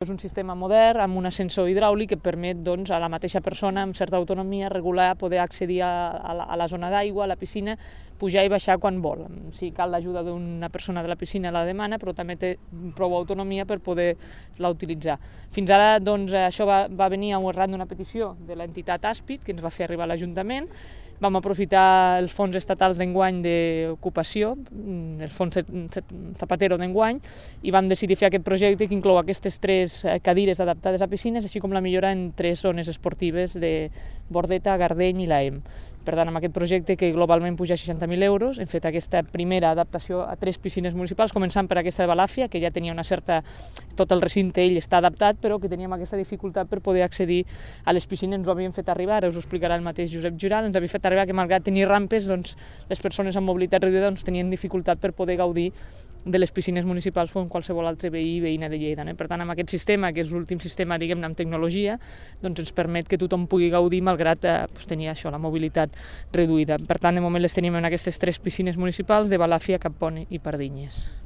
És un sistema modern amb un ascensor hidràulic que permet a la mateixa persona amb certa autonomia regular, poder accedir a la zona d'aigua, a la piscina, pujar i baixar quan vol. Si cal l'ajuda d'una persona de la piscina la demana, però també té prou autonomia per poder-la utilitzar. Fins ara això va venir arran d'una petició de l'entitat Aspid, que ens va fer arribar a l'Ajuntament. Vam aprofitar els fons estatals d'enguany d'ocupació, el fons Zapatero d'enguany, i vam decidir fer aquest projecte que inclou aquestes 3 cadires adaptades a piscines, així com la millora en 3 zones esportives de Bordeta, Gardeny i l'AEM. Per tant, amb aquest projecte, que globalment puja 60.000 euros, hem fet aquesta primera adaptació a 3 piscines municipals, començant per aquesta de Balàfia, que ja tenia una certa... Tot el recinte ell està adaptat, però que teníem aquesta dificultat per poder accedir a les piscines. Ens ho havien fet arribar, ara us ho explicarà el mateix Josep Giral, ens havia fet arribar que malgrat tenir rampes, les persones amb mobilitat reduïda tenien dificultat per poder gaudir de les piscines municipals com qualsevol altre veí i veïna de Lleida. Per tant, amb aquest sistema, que és l'últim sistema, diguem-ne, amb tecnologia, ens permet que tothom pugui gaudir malgrat tenir això, la mobilitat reduïda. Per tant, de moment les tenim en aquestes 3 piscines municipals de Balàfia, Cappont i Pardinyes.